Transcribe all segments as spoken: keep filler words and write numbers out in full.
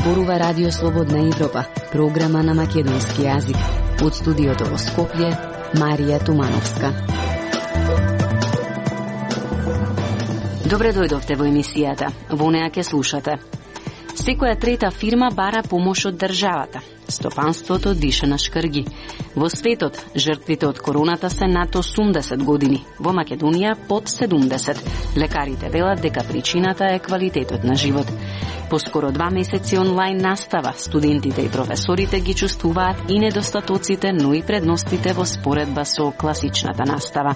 зборува Радио Слободна Европа, програма на македонски јазик. Од студиото во Скопје, Марија Тумановска. Добре дојдовте во емисијата. Во неа ќе слушате. Секоја трета фирма бара помош од државата. Стопанството диша на шкрги. Во светот, жртвите од короната се над осумдесет години. Во Македонија под седумдесет. Лекарите велат дека причината е квалитетот на живот. По скоро два месеци онлайн настава, студентите и професорите ги чувствуваат и недостатоците, но и предностите во споредба со класичната настава.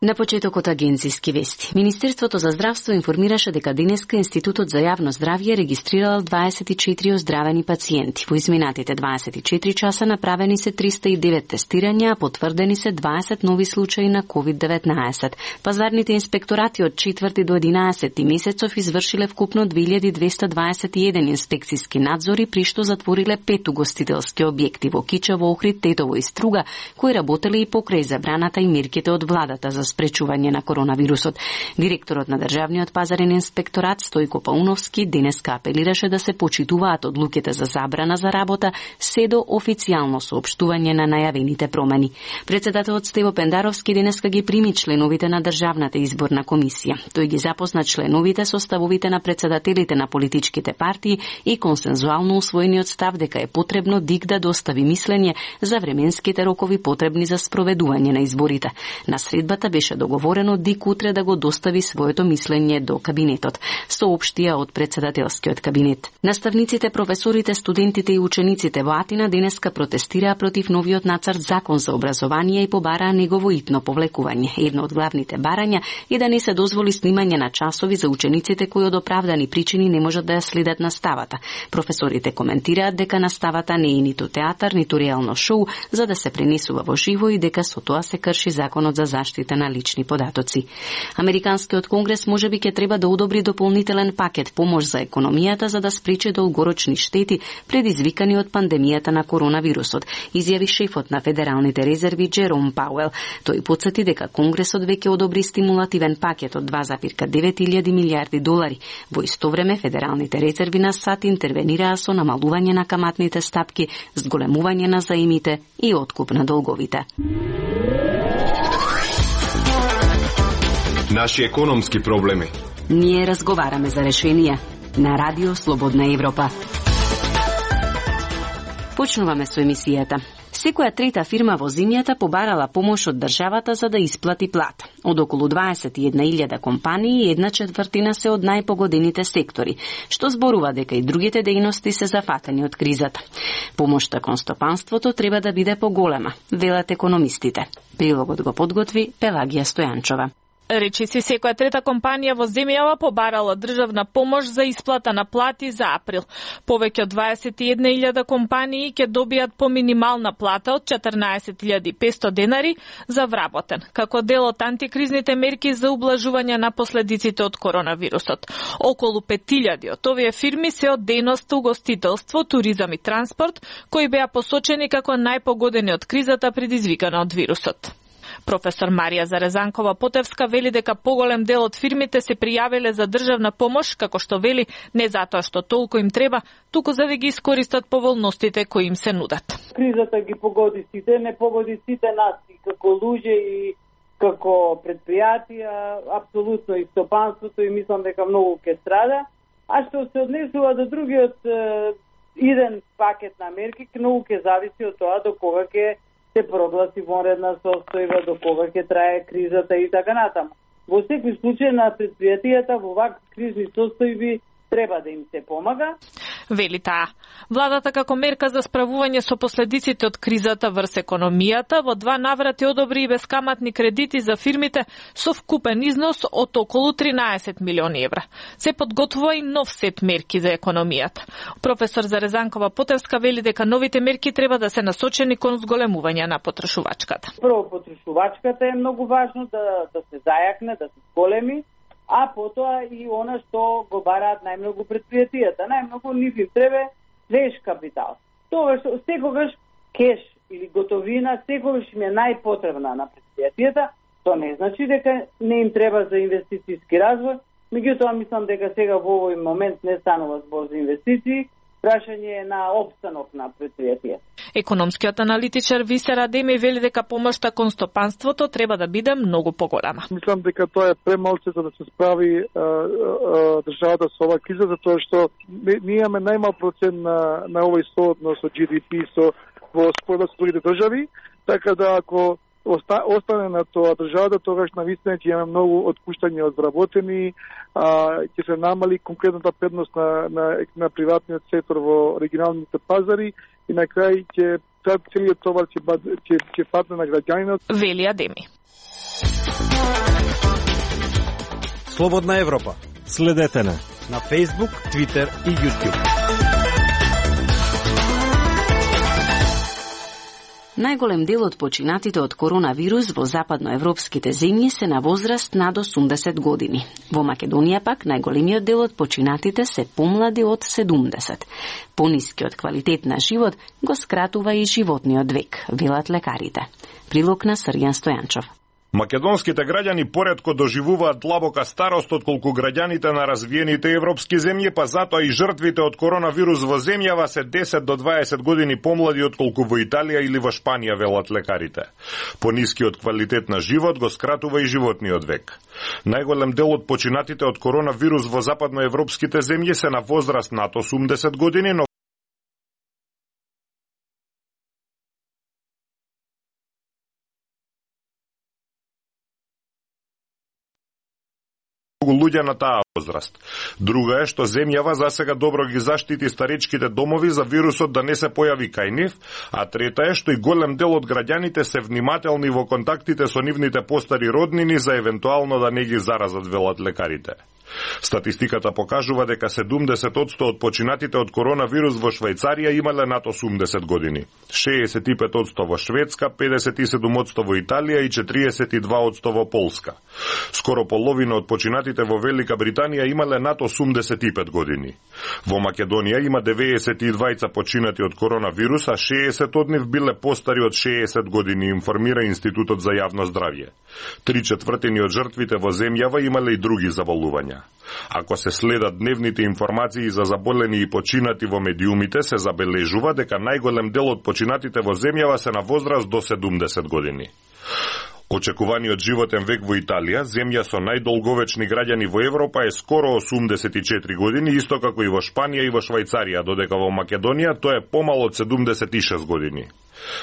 На почетокот агенцијски вести. Министерството за здравство информираше дека денеска Институтот за јавно здравје регистрирал дваесет и четири оздравени пациенти. Во изминатите дваесет и четири часа направени се триста и девет тестирања, а потврдени се дваесет нови случаи на ковид деветнаесет. Пазарните инспекторати од четврти до единаесети месецов извршиле вкупно две илјади двесте дваесет и еден инспекциски надзори, при што затвориле пет угостителски објекти во Кичево, Охрид, Тетово и Струга, кои работеле и покрај забраната и мерките од владата за спречување на коронавирусот. Директорот на Државниот пазарен инспекторат Стојко Пауновски денеска апелираше да се почитуваат одлуките за забрана за работа се до официјално соопштување на најавените промени. Председателот Стево Пендаровски денеска ги прими членовите на Државната изборна комисија. Тој ги запозна членовите со ставовите на председателите на политичките партии и консензуално усвоениот став дека е потребно ДИК да достави мислење за временските рокови потребни за спроведување на изборите. На средбата беше договорено ДИК утре да го достави своето мислење до кабинетот, соопштија од председателскиот кабинет. Наставниците, професорите, студентите и учениците во Атина денеска протестираа против новиот нацрт закон за образование и побараа негово итно повлекување. Едно од главните барања е да не се дозволи снимање на часови за учениците кои од оправдани причини не можат да ја следат наставата. Професорите коментираат дека наставата не е ниту театар, ниту реално шоу, за да се пренесува во живо и дека со тоа се крши законот за заштита на лични податоци. Американскиот конгрес можеби ќе треба да одобри дополнителен пакет помош за економијата за да спречи долгорочни штети предизвикани од пандемијата на коронавирусот, изјави шефот на Федералните резерви Джером Пауел. Тој потсети дека Конгресот веќе одобри стимулативен пакет од два зарез девет илјади милијарди долари. Во исто време Федералните резерви на САД интервенираа со намалување на каматните стапки, зголемување на заемите и откуп на долговите. Наши економски проблеми. Ние разговараме за решенија на Радио Слободна Европа. Почнуваме со емисијата. Секоја трета фирма во земјата побарала помош од државата за да исплати плата. Од околу дваесет и една илјада компании, една четвртина се од најпогодените сектори, што зборува дека и другите дејности се зафатени од кризата. Помошта кон стопанството треба да биде поголема, велат економистите. Прилогот го подготви Пелагија Стојанчова. Речиси секоја трета компанија во земјава побарала државна помош за исплата на плати за април. Повеќе од дваесет и една илјада компании ќе добијат по минимална плата од четрнаесет илјади и петстотини денари за вработен, како дел од антикризните мерки за ублажување на последиците од коронавирусот. Околу пет илјади од овие фирми се од дејноста угостителство, туризам и транспорт, кои беа посочени како најпогодени од кризата предизвикана од вирусот. Професор Марија Зарезанкова-Потевска вели дека поголем дел од фирмите се пријавиле за државна помош, како што вели, не затоа што толку им треба, туку за да ги искористат поволностите кои им се нудат. Кризата ги погоди сите, не погоди сите нас и како луѓе и како предпријатија, апсолутно и стопанството, и мислам дека многу ќе страда. А што се однесува до другиот иден пакет на мерки, многу ќе зависи од тоа до кога ќе се прогласи вонредна состојба, до кога ќе трае кризата и така натаму. Во секој случај на предпријатијата во вакви кризни состојби треба да им се помага. Вели таа. Владата како мерка за справување со последиците од кризата врз економијата во два наврати одобри и бескаматни кредити за фирмите со вкупен износ од околу тринаесет милиони евра. Се подготвува и нов сет мерки за економијата. Професор Зарезанкова-Потевска вели дека новите мерки треба да се насочени кон зголемување на потрошувачката. Прво, потрошувачката е многу важно да, да се зајакне, да се зголеми, а потоа и она што го бараат најмногу предпријатијата. Најмногу нив им треба свеж капитал. Тоа што секогаш кеш или готовина секогаш им е најпотребна на предпријатијата, тоа не значи дека не им треба за инвестицијски развој, Меѓутоа, мислам дека сега во овој момент не станува збор за инвестиции, прашање е на опстанок на предпријатија. Економскиот аналитичар Висер Адеми вели дека помошта кон стопанството треба да биде многу поголема. Мислам дека тоа е премалце за да се справи а, а, државата со оваа криза, затоа што ние имаме најмал процент на, на овој сооднос со Джи Ди Пи со во споредба со другите држави, така да ако оста, остане на тоа државата, тогаш навистина ќе имаме многу отпуштања од вработени, а, ќе се намали конкретната предност на, на, на приватниот сектор во регионалните пазари и на крај ќе целиот товар ќе ќе ќе падне на граѓанинот. Вели Адеми. Слободна Европа. Следете на на Facebook, Twitter и YouTube. Најголем дел од починатите од коронавирус во западноевропските земји се на возраст над осумдесет години. Во Македонија пак најголемиот дел од починатите се помлади од седумдесет. Понискиот квалитет на живот го скратува и животниот век, велат лекарите. Прилог на Срјан Стојанчов. Македонските граѓани поретко доживуваат длабока старост отколку граѓаните на развиените европски земји, па затоа и жртвите од коронавирус во земјава се десет до дваесет години помлади отколку во Италија или во Шпанија, велат лекарите. Понискиот квалитет на живот го скратува и животниот век. Најголем дел од починатите од коронавирус во западноевропските земји се на возраст над осумдесет години, но луѓе на таа возраст. Друга е што земјава засега добро ги заштити старечките домови за вирусот да не се појави кај нив, а трета е што и голем дел од граѓаните се внимателни во контактите со нивните постари роднини за евентуално да не ги заразат, велат лекарите. Статистиката покажува дека седумдесет одсто од починатите од коронавирус во Швајцарија имале над осумдесет години, шеесет и пет одсто во Шведска, педесет и седум одсто во Италија и четириесет и два одсто во Полска. Скоро половина од починатите во Велика Британија имале над осумдесет и пет години. Во Македонија има деветдесет и двајца починати од коронавирус, а шеесет од нив биле постари од шеесет години, информира Институтот за јавно здравје. Три четвртини од жртвите во земјава имале и други заболувања. Ако се следат дневните информации за заболени и починати во медиумите, се забележува дека најголем дел од починатите во земјава се на возраст до седумдесет години. Очекуваниот животен век во Италија, земја со најдолговечни граѓани во Европа, е скоро осумдесет и четири години, исто како и во Шпанија и во Швајцарија, додека во Македонија тоа е помало од седумдесет и шест години.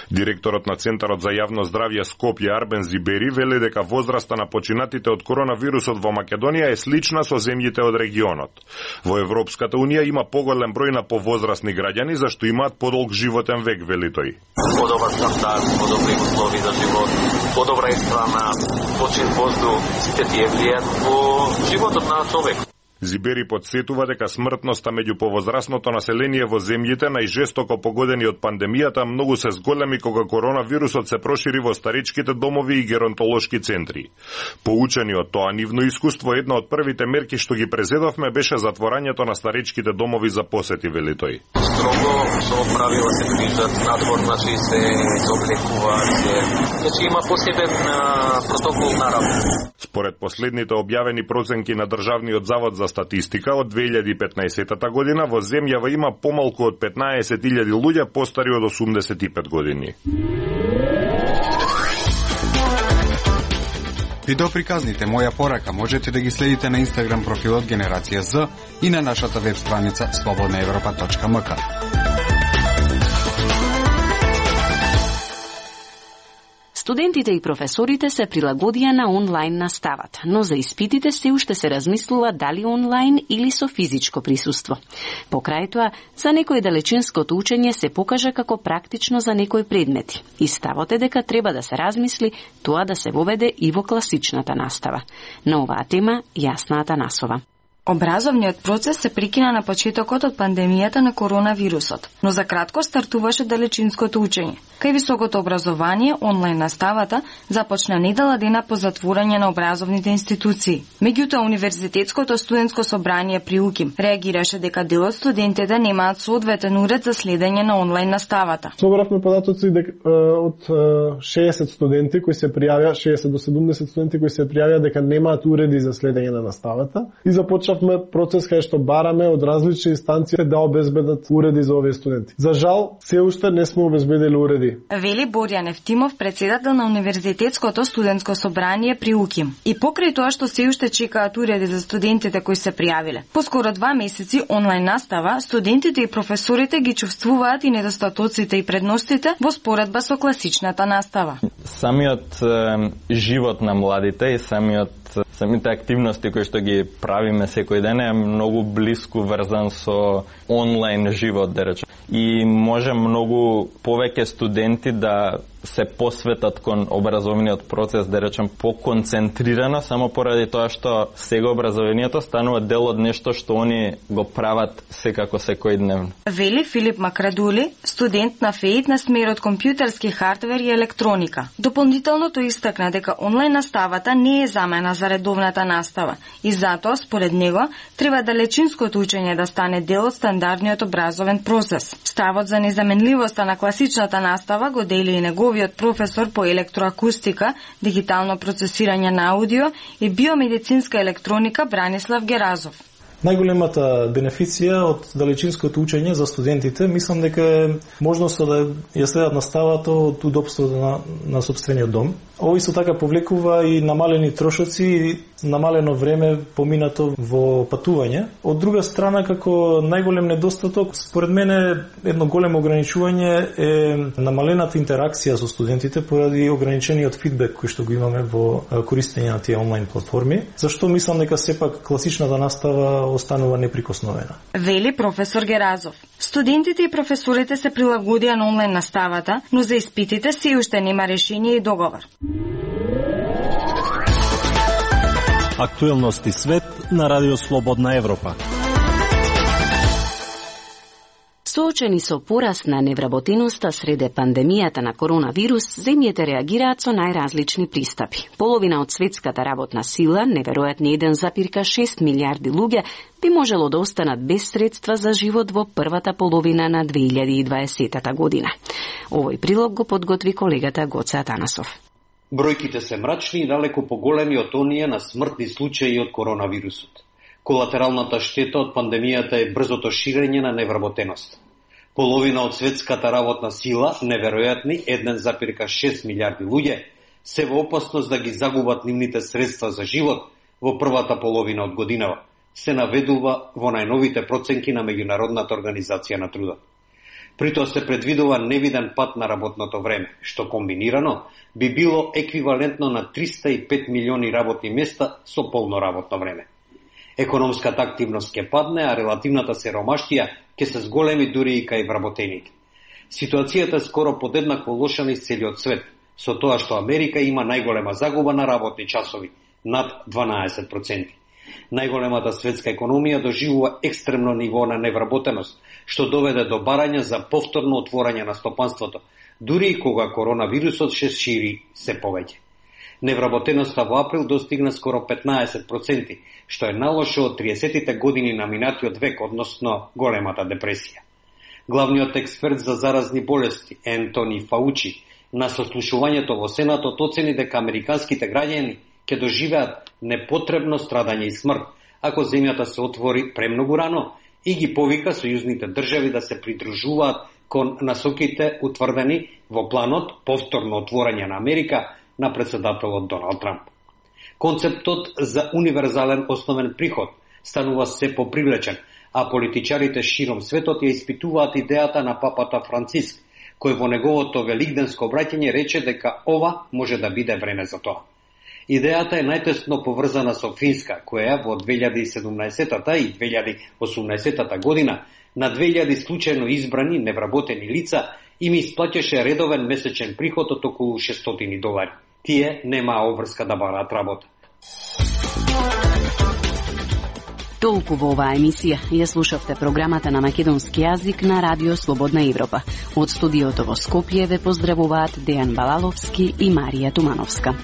Директорот на Центарот за јавно здравје Скопје Арбен Зибери вели дека возраста на починатите од коронавирусот во Македонија е слична со земјите од регионот. Во Европската унија има поголем број на повозрастни граѓани зашто имаат подолг животен век, вели тој. Подобар стандард, подобри услови за живот, подобра исхрана, почин воздух, сите тие влијаат во животот на човек. Зибери подсетува дека смртноста меѓу повозрастното население во земјите најжестоко погодени од пандемијата многу се зголеми кога коронавирусот се прошири во старичките домови и геронтолошки центри. Поучени од тоа нивно искуство, една од првите мерки што ги презедовме беше затворањето на старичките домови за посети, вели тој. Строго со правила се движат надвор, значи се облекуваат се. Значи има посебен протокол на работа. Според последните објавени проценки на Државниот завод за статистика од две илјади и петнаесета година во земјава има помалку од петнаесет илјади луѓе постари од осумдесет и пет години. Видеоприказните Моја порака можете да ги следите на Инстаграм профилот Генерација З и на нашата веб страница слободна европа точка ем ка. Студентите и професорите се прилагодија на онлайн наставата, но за испитите се уште се размислува дали онлайн или со физичко присуство. Покрај тоа, за некој далечинското учење се покажа како практично за некои предмети. И ставот е дека треба да се размисли тоа да се воведе и во класичната настава. На оваа тема Јасна Атанасова. Образовниот процес се прекина на почетокот од пандемијата на коронавирусот, но за кратко стартуваше далечинското учење. Кај високото образование, онлайн наставата започна недела дена по затворање на образовните институции. Меѓутоа, Универзитетското студентско собрание при УКИМ реагираше дека дел од студентите немаат соодветен уред за следење на онлайн наставата. Собравме податоци дека од шеесет студенти кои се пријавија, шеесет до седумдесет студенти кои се пријавија дека немаат уреди за следење на наставата и започнавме процес кај што бараме од различни инстанции да обезбедат уреди за овие студенти. За жал, се уште не сме обезбедили уреди. Вели Борјан Евтимов, председател на Универзитетското студентско собрание при УКИМ. И покрај тоа што се уште чекаат уреди за студентите кои се пријавиле. Поскоро два месеци онлайн настава, студентите и професорите ги чувствуваат и недостатоците и предностите во споредба со класичната настава. Самиот е, живот на младите и самиот самите активности кои што ги правиме секој ден е многу блиску врзан со онлайн живот, да речем. И може многу повеќе студенти да се посветат кон образовниот процес, да речем, поконцентрирано, само поради тоа што сега образованието станува дел од нешто што они го прават секако секојдневно. Вели Филип Макрадули, студент на ФЕИТ на смерот компјутерски хардвер и електроника. Дополнително тој истакна дека онлайн наставата не е замена за редовната настава и затоа, според него, треба далечинското учење да стане дел од стандардниот образовен процес. Ставот за незаменливоста на класичната настава го дели и неговиот професор по електроакустика, дигитално процесирање на аудио и биомедицинска електроника Бранислав Геразов. Најголемата бенефиција од далечинското учење за студентите, мислам дека е можноста да ја следат наставата од удобството на, на собствениот дом. Ово исто така повлекува и намалени трошоци и намалено време поминато во патување. Од друга страна, како најголем недостаток, според мене едно големо ограничување е намалената интеракција со студентите поради ограничениот фидбек кој што го имаме во користење на тие онлайн платформи, зашто мислам дека сепак класичната настава останува неприкосновена. Вели професор Геразов. Студентите и професорите се прилагодија на онлайн наставата, но за испитите се уште нема решение и договор. Актуелности свет на Радио Слободна Европа. Соочени со пораст на невработеноста среде пандемијата на коронавирус, земјите реагираат со најразлични пристапи. Половина од светската работна сила, неверојатни еден запирка шест милијарди луѓе, би можело да останат без средства за живот во првата половина на две илјади и дваесета година. Овој прилог го подготви колегата Гоце Атанасов. Бројките се мрачни и далеко поголеми од оние на смртни случаи од коронавирусот. Колатералната штета од пандемијата е брзото ширење на невработеност. Половина од светската работна сила, неверојатни еден запирка шест милијарди луѓе, се во опасност да ги загубат нивните средства за живот во првата половина од годинава, се наведува во најновите проценки на Меѓународната организација на трудот. При тоа се предвидува невиден пат на работното време, што комбинирано би било еквивалентно на триста и пет милиони работни места со полно работно време. Економската активност ќе падне, а релативната сиромаштија ќе се зголеми дури и кај вработените. Ситуацијата е скоро подеднакво лоша низ целиот свет, со тоа што Америка има најголема загуба на работни часови, над дванаесет проценти. Најголемата светска економија доживува екстремно ниво на невработеност, што доведе до барање за повторно отворање на стопанството, дури и кога коронавирусот се шири се повеќе. Невработеноста во април достигна скоро петнаесет проценти, што е најлошо од триесеттите години на минатиот век, односно големата депресија. Главниот експерт за заразни болести, Ентони Фаучи, на сослушувањето во Сенатот оцени дека американските граѓани ќе доживеат непотребно страдање и смрт, ако земјата се отвори премногу рано, и ги повика сојузните држави да се придружуваат кон насоките утврдени во планот повторно отворање на Америка на председателот Доналд Трамп. Концептот за универзален основен приход станува се попривлечен, а политичарите широм светот ја испитуваат идејата на папата Франциск, кој во неговото великденско обраќање рече дека ова може да биде време за тоа. Идејата е најтесно поврзана со Финска, која во две илјади и седумнаесета и две илјади и осумнаесета година на две илјади случајно избрани невработени лица им исплаќаше редовен месечен приход од околу шестстотини долари. Тие немаа обврска да бараат работа. Толку во оваа емисија. Ја слушавте програмата на македонски јазик на Радио Слободна Европа. Од студиото во Скопје ве поздравуваат Дејан Балаловски и Марија Тумановска.